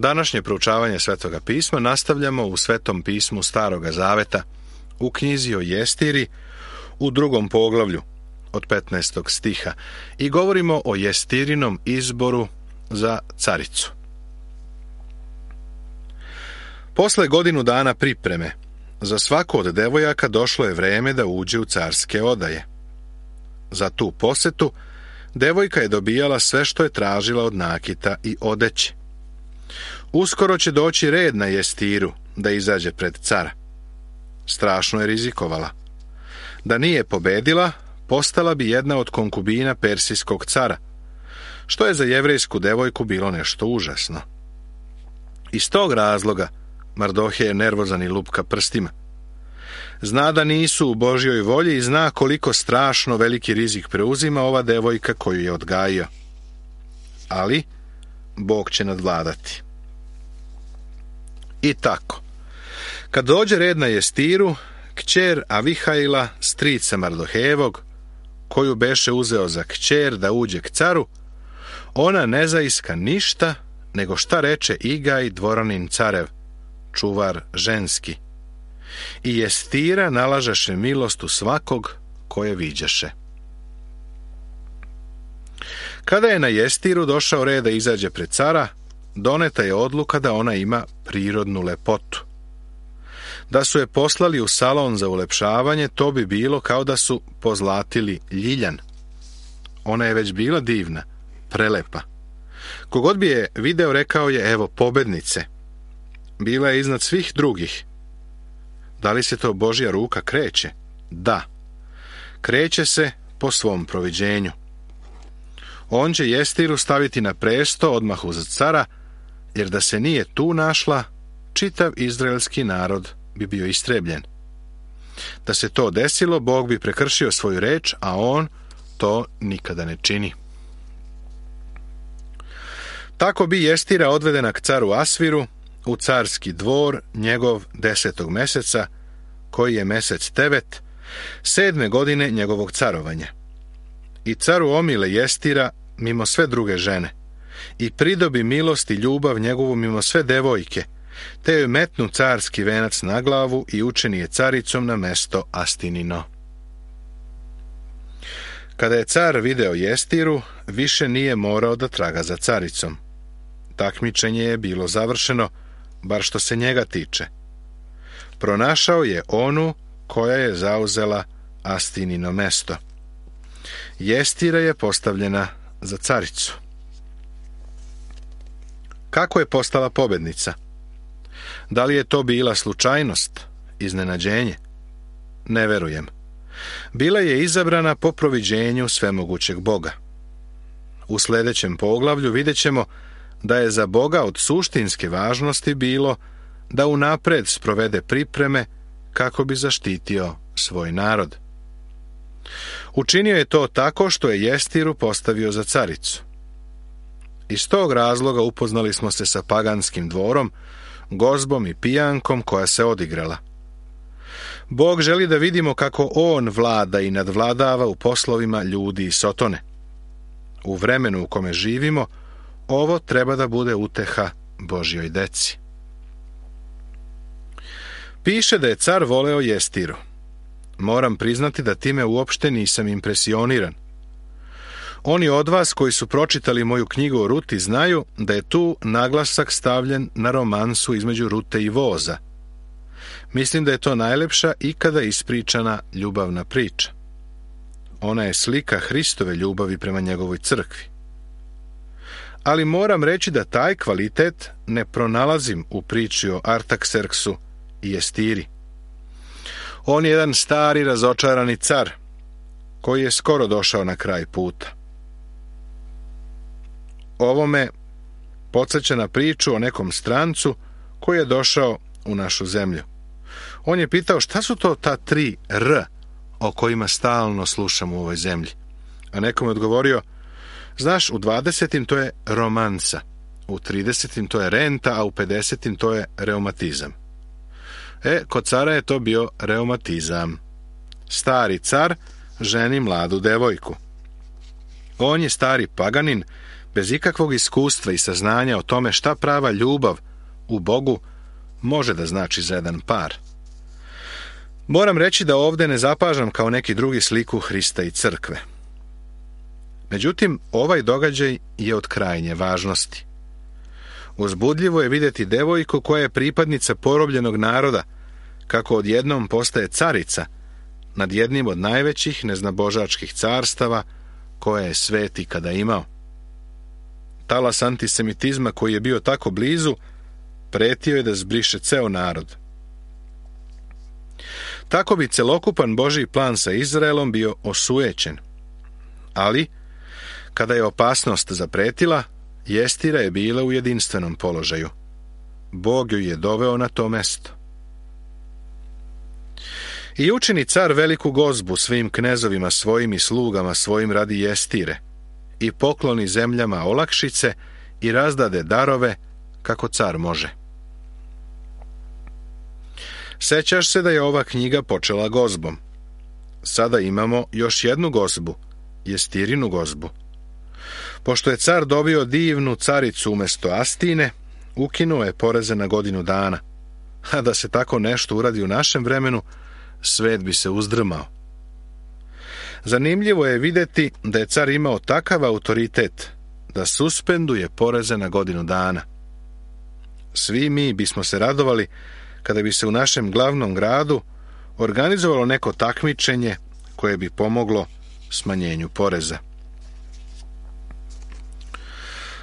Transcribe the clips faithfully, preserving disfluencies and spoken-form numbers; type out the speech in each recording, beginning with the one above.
Današnje proučavanje Svetoga pisma nastavljamo u Svetom pismu Staroga zaveta, u knjizi o Jestiri, u drugom poglavlju, od petnaestog stiha, i govorimo o Jestirinom izboru za caricu. Posle godinu dana pripreme, za svaku od devojaka došlo je vreme da uđe u carske odaje. Za tu posetu, devojka je dobijala sve što je tražila od nakita i odeće. Uskoro će doći red na Jestiru da izađe pred cara. Strašno je rizikovala. Da nije pobedila, postala bi jedna od konkubina persijskog cara, što je za jevrejsku devojku bilo nešto užasno. Iz tog razloga Mardohej je nervozan i lupka prstima. Zna da nisu u Božjoj volji i zna koliko strašno veliki rizik preuzima ova devojka koju je odgajio. Ali Bog će nadvladati. I tako, kad dođe red na Jestiru, kćer Avihaila, strica Mardohejevog, koju beše uzeo za kćer da uđe k caru, ona ne zaiska ništa, nego šta reče Igaj, dvoranin carev, čuvar ženski. I Jestira nalažeše milost u svakog koje viđaše. Kada je na Jestiru došao red da izađe pred cara, doneta je odluka da ona ima prirodnu lepotu. Da su je poslali u salon za ulepšavanje, to bi bilo kao da su pozlatili ljiljan. Ona je već bila divna, prelepa. Kogod bi je video, rekao je, evo pobednice. Bila je iznad svih drugih. Da li se to Božja ruka kreće? Da. Kreće se po svom proviđenju. On će Jestiru staviti na presto odmah uz cara, jer da se nije tu našla, čitav izraelski narod bi bio istrebljen. Da se to desilo, Bog bi prekršio svoju reč, a on to nikada ne čini. Tako bi Jestira odvedena k caru Asviru, u carski dvor njegov desetog meseca, koji je mesec Tevet, sedme godine njegovog carovanja. I caru omile Jestira mimo sve druge žene, i pridobi milost i ljubav njegovu mimo sve devojke, te joj metnu carski venac na glavu i učini je caricom na mesto Astinino. Kada je car video Jestiru, više nije morao da traga za caricom. Takmičenje je bilo završeno, bar što se njega tiče. Pronašao je onu koja je zauzela Astinino mesto. Jestira je postavljena za caricu. Kako je postala pobednica? Da li je to bila slučajnost, iznenađenje? Ne verujem. Bila je izabrana po proviđenju svemogućeg Boga. U sljedećem poglavlju vidjet ćemo da je za Boga od suštinske važnosti bilo da unapred sprovede pripreme kako bi zaštitio svoj narod. Učinio je to tako što je Jestiru postavio za caricu. Iz tog razloga upoznali smo se sa paganskim dvorom, gozbom i pijankom koja se odigrala. Bog želi da vidimo kako on vlada i nadvladava u poslovima ljudi i sotone. U vremenu u kome živimo, ovo treba da bude uteha Božjoj deci. Piše da je car voleo Jestiru. Moram priznati da time uopšte nisam impresioniran. Oni od vas koji su pročitali moju knjigu o Ruti znaju da je tu naglasak stavljen na romansu između Rute i voza. Mislim da je to najlepša ikada ispričana ljubavna priča. Ona je slika Hristove ljubavi prema njegovoj crkvi. Ali moram reći da taj kvalitet ne pronalazim u priči o Artakserksu i Jestiri. On je jedan stari razočarani car koji je skoro došao na kraj puta. Ovo me podsjeća na priču o nekom strancu koji je došao u našu zemlju. On je pitao šta su to ta tri R o kojima stalno slušam u ovoj zemlji. A nekom je odgovorio, znaš, u dvadesetim to je romansa, u tridesetim to je renta, a u pedesetim to je reumatizam. E, kod cara je to bio reumatizam. Stari car ženi mladu devojku. On je stari paganin, bez ikakvog iskustva i saznanja o tome šta prava ljubav u Bogu može da znači za jedan par. Moram reći da ovdje ne zapažam kao neki drugi sliku Hrista i crkve. Međutim, ovaj događaj je od krajnje važnosti. Uzbudljivo je vidjeti devojku koja je pripadnica porobljenog naroda, kako odjednom postaje carica nad jednim od najvećih neznabožačkih carstava koje je svet ikada imao. Talas antisemitizma koji je bio tako blizu, pretio je da zbriše ceo narod. Tako bi celokupan Božji plan sa Izraelom bio osujećen. Ali, kada je opasnost zapretila, Jestira je bila u jedinstvenom položaju. Bog ju je doveo na to mesto. I učini car veliku gozbu svim knezovima svojim i slugama svojim radi Jestire, i pokloni zemljama olakšice i razdade darove kako car može. Sećaš se da je ova knjiga počela gozbom. Sada imamo još jednu gozbu, Jestirinu gozbu. Pošto je car dobio divnu caricu umjesto Astine, ukinuo je poreze na godinu dana. A da se tako nešto uradi u našem vremenu, svet bi se uzdrmao. Zanimljivo je vidjeti da je car imao takav autoritet da suspenduje poreze na godinu dana. Svi mi bismo se radovali kada bi se u našem glavnom gradu organizovalo neko takmičenje koje bi pomoglo smanjenju poreza.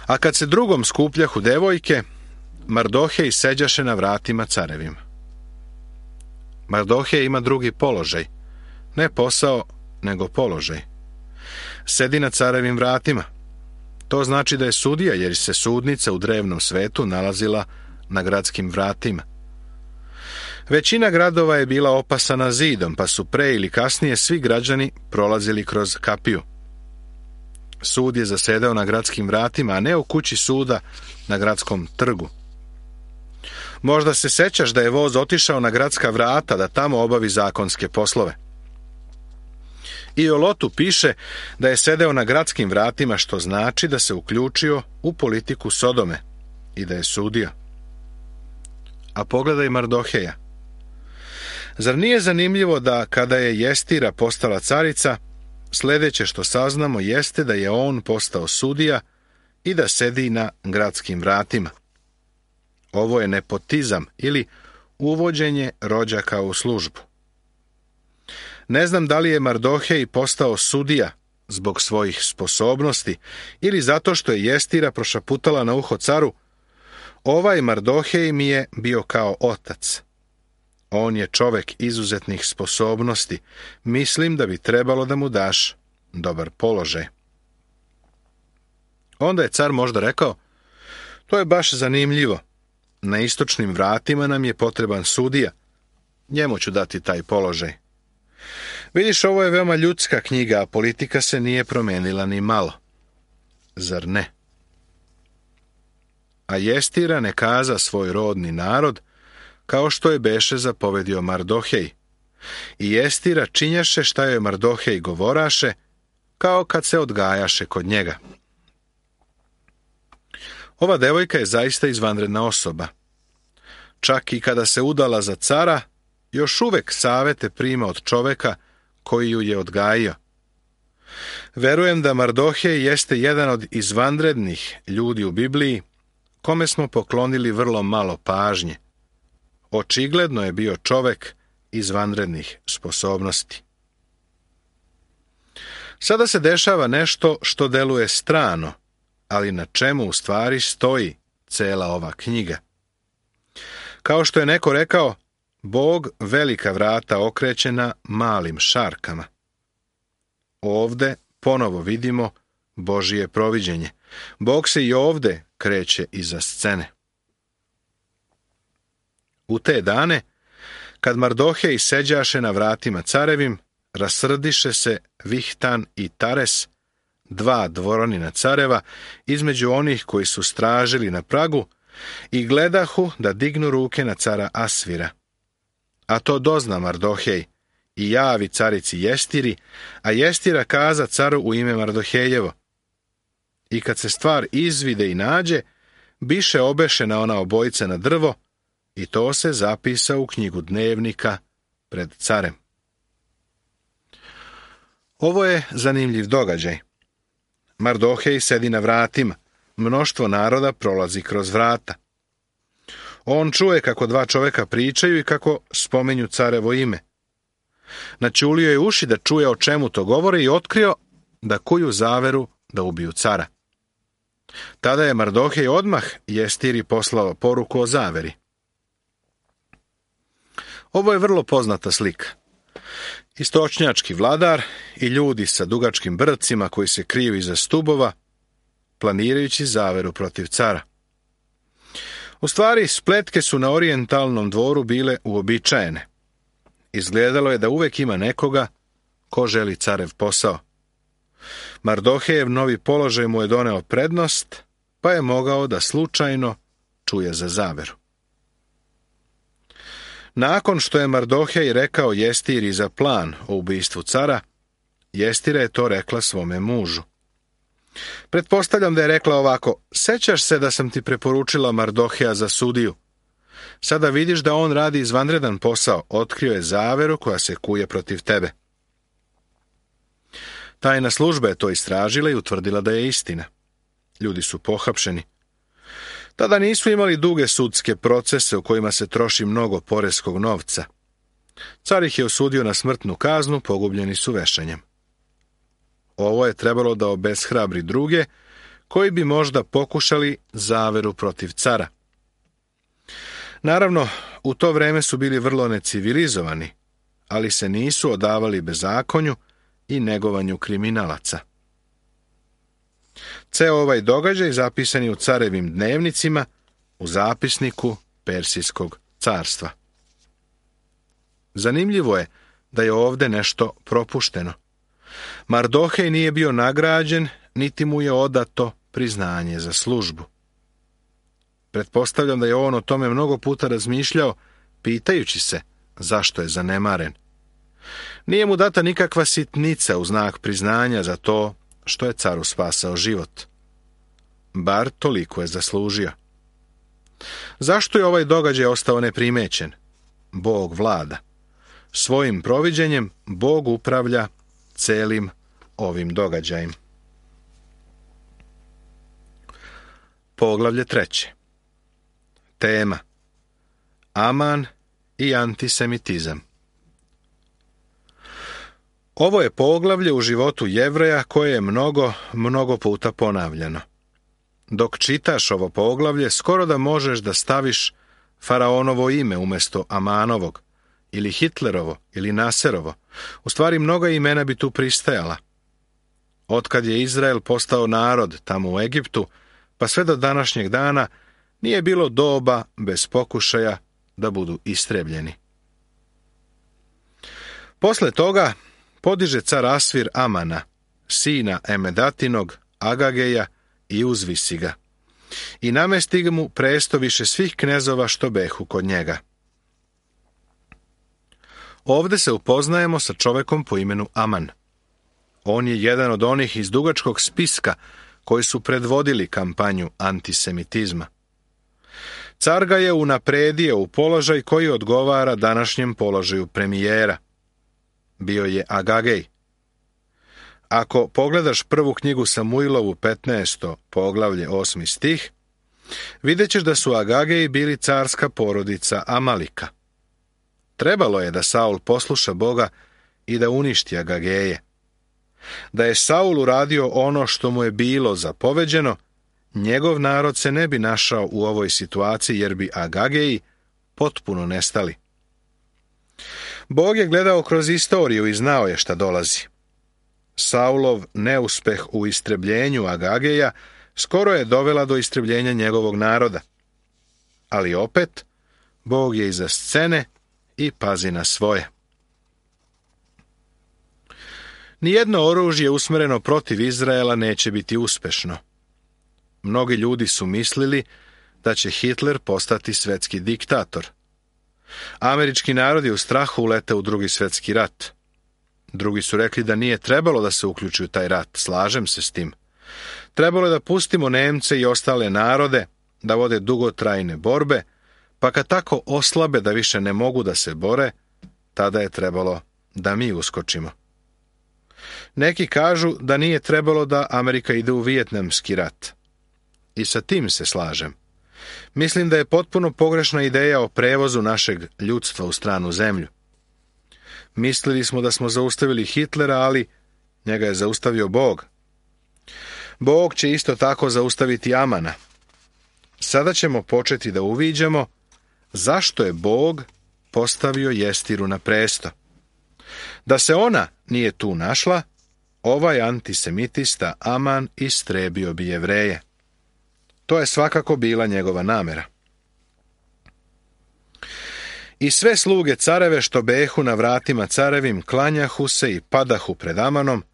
A kad se drugom skupljahu devojke, Mardohej seđaše na vratima carevim. Mardohej ima drugi položaj, ne posao, nego položaj. Sedi na carevim vratima. To znači da je sudija, jer se sudnica u drevnom svetu nalazila na gradskim vratima. Većina gradova je bila opasana zidom, pa su pre ili kasnije svi građani prolazili kroz kapiju. Sud je zasedao na gradskim vratima, a ne u kući suda na gradskom trgu. Možda se sećaš da je voz otišao na gradska vrata da tamo obavi zakonske poslove. I o Lotu piše da je sedeo na gradskim vratima, što znači da se uključio u politiku Sodome i da je sudio. A pogledaj Mardoheja. Zar nije zanimljivo da kada je Jestira postala carica, sljedeće što saznamo jeste da je on postao sudija i da sedi na gradskim vratima. Ovo je nepotizam ili uvođenje rođaka u službu. Ne znam da li je Mardohej postao sudija zbog svojih sposobnosti ili zato što je Jestira prošaputala na uho caru: ovaj Mardohej mi je bio kao otac. On je čovek izuzetnih sposobnosti. Mislim da bi trebalo da mu daš dobar položaj. Onda je car možda rekao: to je baš zanimljivo. Na istočnim vratima nam je potreban sudija. Njemu ću dati taj položaj. Vidiš, ovo je veoma ljudska knjiga, a politika se nije promenila ni malo. Zar ne? A Jestira ne kaza svoj rodni narod, kao što je beše zapovedio Mardohej. I Jestira činjaše šta joj Mardohej govoraše, kao kad se odgajaše kod njega. Ova devojka je zaista izvanredna osoba. Čak i kada se udala za cara, još uvek savete prima od čoveka koji ju je odgajio. Verujem da Mardohej jeste jedan od izvanrednih ljudi u Bibliji, kome smo poklonili vrlo malo pažnje. Očigledno je bio čovek izvanrednih sposobnosti. Sada se dešava nešto što deluje strano, ali na čemu u stvari stoji cela ova knjiga. Kao što je neko rekao, Bog velika vrata okreće na malim šarkama. Ovde ponovo vidimo Božije proviđenje. Bog se i ovde kreće iza scene. U te dane, kad Mardohej seđaše na vratima carevim, rasrdiše se Vihtan i Tares, dva dvoronina careva, između onih koji su stražili na pragu, i gledahu da dignu ruke na cara Asvira. A to dozna Mardohej i javi carici Jestiri, a Jestira kaza caru u ime Mardohejevo. i kad se stvar izvide i nađe, biše obešena ona obojica na drvo i to se zapisa u knjigu dnevnika pred carem. Ovo je zanimljiv događaj. Mardohej sedi na vratima, mnoštvo naroda prolazi kroz vrata. On čuje kako dva čoveka pričaju i kako spominju carevo ime. Naćulio je uši da čuje o čemu to govore i otkrio da kuju zaveru da ubiju cara. Tada je Mardohej odmah Jestiri poslao poruku o zaveri. Ovo je vrlo poznata slika. Istočnjački vladar i ljudi sa dugačkim brcima koji se kriju iza stubova, planirajući zaveru protiv cara. U stvari, spletke su na orijentalnom dvoru bile uobičajene. Izgledalo je da uvek ima nekoga ko želi carev posao. Mardohejev novi položaj mu je doneo prednost, pa je mogao da slučajno čuje za zaveru. Nakon što je Mardohej rekao Jestiri za plan o ubistvu cara, Jestira je to rekla svome mužu. Pretpostavljam da je rekla ovako: sećaš se da sam ti preporučila Mardoheja za sudiju? Sada vidiš da on radi izvanredan posao, otkrio je zaveru koja se kuje protiv tebe. Tajna služba je to istražila i utvrdila da je istina. Ljudi su pohapšeni. Tada nisu imali duge sudske procese u kojima se troši mnogo poreskog novca. Car ih je osudio na smrtnu kaznu, pogubljeni su vešanjem. Ovo je trebalo da obeshrabri druge, koji bi možda pokušali zaveru protiv cara. Naravno, u to vreme su bili vrlo necivilizovani, ali se nisu odavali bezakonju i negovanju kriminalaca. Ceo ovaj događaj zapisan je u carevim dnevnicima u zapisniku Persijskog carstva. Zanimljivo je da je ovde nešto propušteno. Mardohej nije bio nagrađen, niti mu je odato priznanje za službu. Pretpostavljam da je on o tome mnogo puta razmišljao, pitajući se zašto je zanemaren. Nije mu data nikakva sitnica u znak priznanja za to što je caru spasao život. Bar toliko je zaslužio. Zašto je ovaj događaj ostao neprimećen? Bog vlada. Svojim proviđenjem Bog upravlja celim ovim događajem. Poglavlje treće. Tema: Aman i antisemitizam. Ovo je poglavlje u životu Jevreja koje je mnogo, mnogo puta ponavljano. Dok čitaš ovo poglavlje, skoro da možeš da staviš faraonovo ime umjesto Amanovog, ili Hitlerovo, ili Naserovo. U stvari, mnoga imena bi tu pristajala. Otkad je Izrael postao narod tamo u Egiptu, pa sve do današnjeg dana, nije bilo doba bez pokušaja da budu istrebljeni. Posle toga podiže car Asvir Amana, sina Emedatinog, Agageja, i uzvisi ga, i namesti mu presto više svih knezova što behu kod njega. Ovde se upoznajemo sa čovekom po imenu Aman. On je jedan od onih iz dugačkog spiska koji su predvodili kampanju antisemitizma. Car ga je unapredio u položaj koji odgovara današnjem položaju premijera. Bio je Agagej. Ako pogledaš prvu knjigu Samuilovu petnaesto poglavlje osmi stih, vidjet ćeš da su Agageji bili carska porodica Amalika. Trebalo je da Saul posluša Boga i da uništi Agageje. Da je Saul uradio ono što mu je bilo zapoveđeno, njegov narod se ne bi našao u ovoj situaciji jer bi Agageji potpuno nestali. Bog je gledao kroz istoriju i znao je šta dolazi. Saulov neuspeh u istrebljenju Agageja skoro je dovela do istrebljenja njegovog naroda. Ali opet, Bog je iza scene i pazi na svoje. Nijedno oružje usmereno protiv Izraela neće biti uspešno. Mnogi ljudi su mislili da će Hitler postati svetski diktator. Američki narod je u strahu uleteo u drugi svetski rat. Drugi su rekli da nije trebalo da se uključi u taj rat, slažem se s tim. Trebalo je da pustimo Nemce i ostale narode da vode dugotrajne borbe, pa kad tako oslabe da više ne mogu da se bore, tada je trebalo da mi uskočimo. Neki kažu da nije trebalo da Amerika ide u Vijetnamski rat. I sa tim se slažem. Mislim da je potpuno pogrešna ideja o prevozu našeg ljudstva u stranu zemlju. Mislili smo da smo zaustavili Hitlera, ali njega je zaustavio Bog. Bog će isto tako zaustaviti Amana. Sada ćemo početi da uviđamo zašto je Bog postavio Jestiru na presto. Da se ona nije tu našla, ovaj antisemitista Aman istrebio bi Jevreje. To je svakako bila njegova namera. I sve sluge careve što behu na vratima carevim klanjahu se i padahu pred Amanom,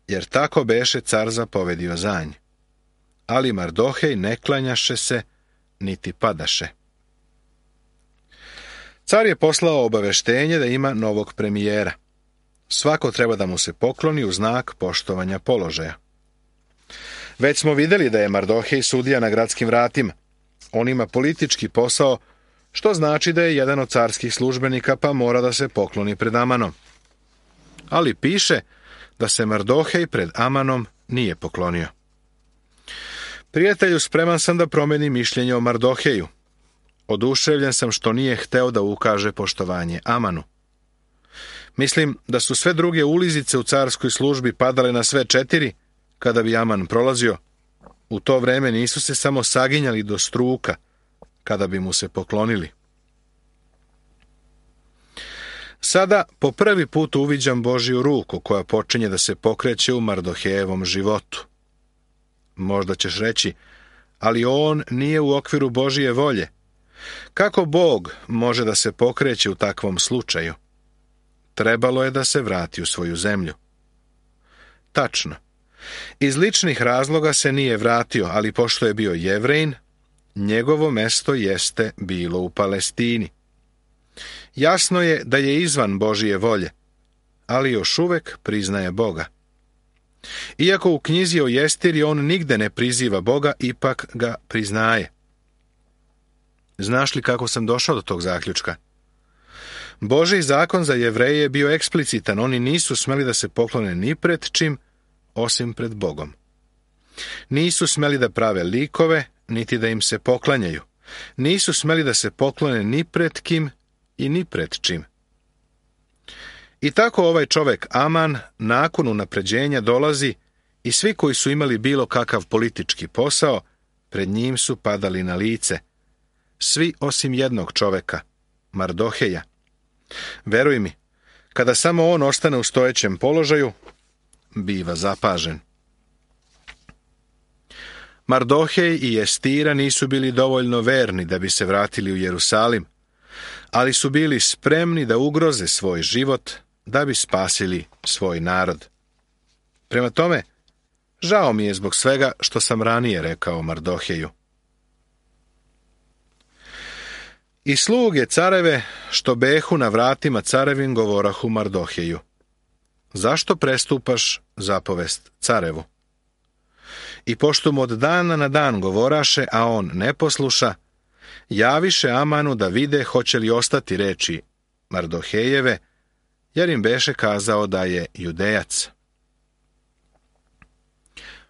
jer tako beše car zapovedio za nj. Ali Mardohej ne klanjaše se, niti padaše. Car je poslao obaveštenje da ima novog premijera. Svako treba da mu se pokloni u znak poštovanja položaja. Već smo vidjeli da je Mardohej sudija na gradskim vratima. On ima politički posao, što znači da je jedan od carskih službenika, pa mora da se pokloni pred Amanom. Ali piše da se Mardohej pred Amanom nije poklonio. Prijatelju, spreman sam da promenim mišljenje o Mardoheju. Oduševljen sam što nije hteo da ukaže poštovanje Amanu. Mislim da su sve druge ulizice u carskoj službi padale na sve četiri, kada bi Aman prolazio. U to vreme nisu se samo saginjali do struka, kada bi mu se poklonili. Sada po prvi put uviđam Božju ruku koja počinje da se pokreće u Mardohejevom životu. Možda ćeš reći, ali on nije u okviru Božje volje. Kako Bog može da se pokreće u takvom slučaju? Trebalo je da se vrati u svoju zemlju. Tačno. Iz ličnih razloga se nije vratio, ali pošto je bio Jevrejin, njegovo mesto jeste bilo u Palestini. Jasno je da je izvan Božje volje, ali još uvek priznaje Boga. Iako u knjizi o Jestiri on nigde ne priziva Boga, ipak ga priznaje. Znaš li kako sam došao do tog zaključka? Božji zakon za Jevreje je bio eksplicitan, oni nisu smeli da se poklone ni pred čim, osim pred Bogom. Nisu smeli da prave likove, niti da im se poklanjaju. Nisu smeli da se poklone ni pred kim i ni pred čim. I tako ovaj čovek Aman nakon unapređenja dolazi i svi koji su imali bilo kakav politički posao, pred njim su padali na lice. Svi osim jednog čoveka, Mardoheja. Veruj mi, kada samo on ostane u stojećem položaju, biva zapažen. Mardohej i Jestira nisu bili dovoljno verni da bi se vratili u Jerusalim, ali su bili spremni da ugroze svoj život da bi spasili svoj narod. Prema tome, žao mi je zbog svega što sam ranije rekao Mardoheju. I sluge careve što behu na vratima carevim govorahu Mardoheju. Zašto prestupaš zapovest carevu? I pošto mu od dana na dan govoraše, a on ne posluša, javiše Amanu da vide hoće li ostati reči Mardohejeve, jer im beše kazao da je Judejac.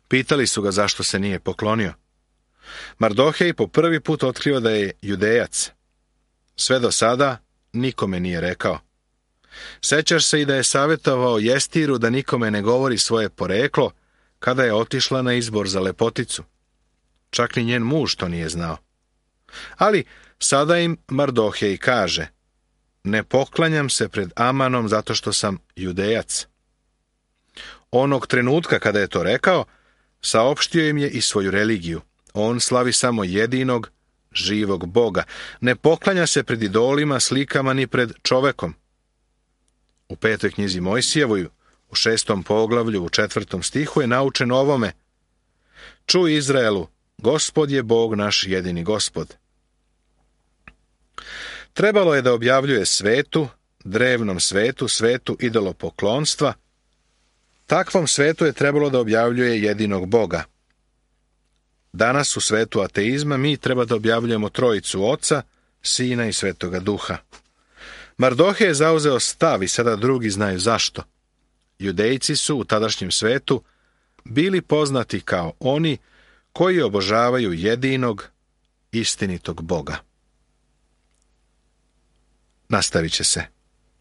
Pitali su ga zašto se nije poklonio. Mardohej po prvi put otkriva da je Judejac. Sve do sada nikome nije rekao. Sećaš se i da je savjetovao Jestiru da nikome ne govori svoje poreklo kada je otišla na izbor za lepoticu. Čak ni njen muž to nije znao. Ali sada im Mardohej kaže, ne poklanjam se pred Amanom zato što sam Judejac. Onog trenutka kada je to rekao, saopštio im je i svoju religiju. On slavi samo jedinog, živog Boga. Ne poklanja se pred idolima, slikama ni pred čovekom. U petoj knjizi Mojsijevoj, u šestom poglavlju, u četvrtom stihu je naučen ovome. Čuj Izraelu, Gospod je Bog naš jedini Gospod. Trebalo je da objavljuje svetu, drevnom svetu, svetu idolopoklonstva, Takvom svetu je trebalo da objavljuje jedinog Boga. Danas u svetu ateizma mi treba da objavljujemo trojicu Oca, Sina i Svetoga Duha. Mardohe je zauzeo stav i sada drugi znaju zašto. Judejci su u tadašnjem svetu bili poznati kao oni koji obožavaju jedinog, istinitog Boga. Nastavit će se.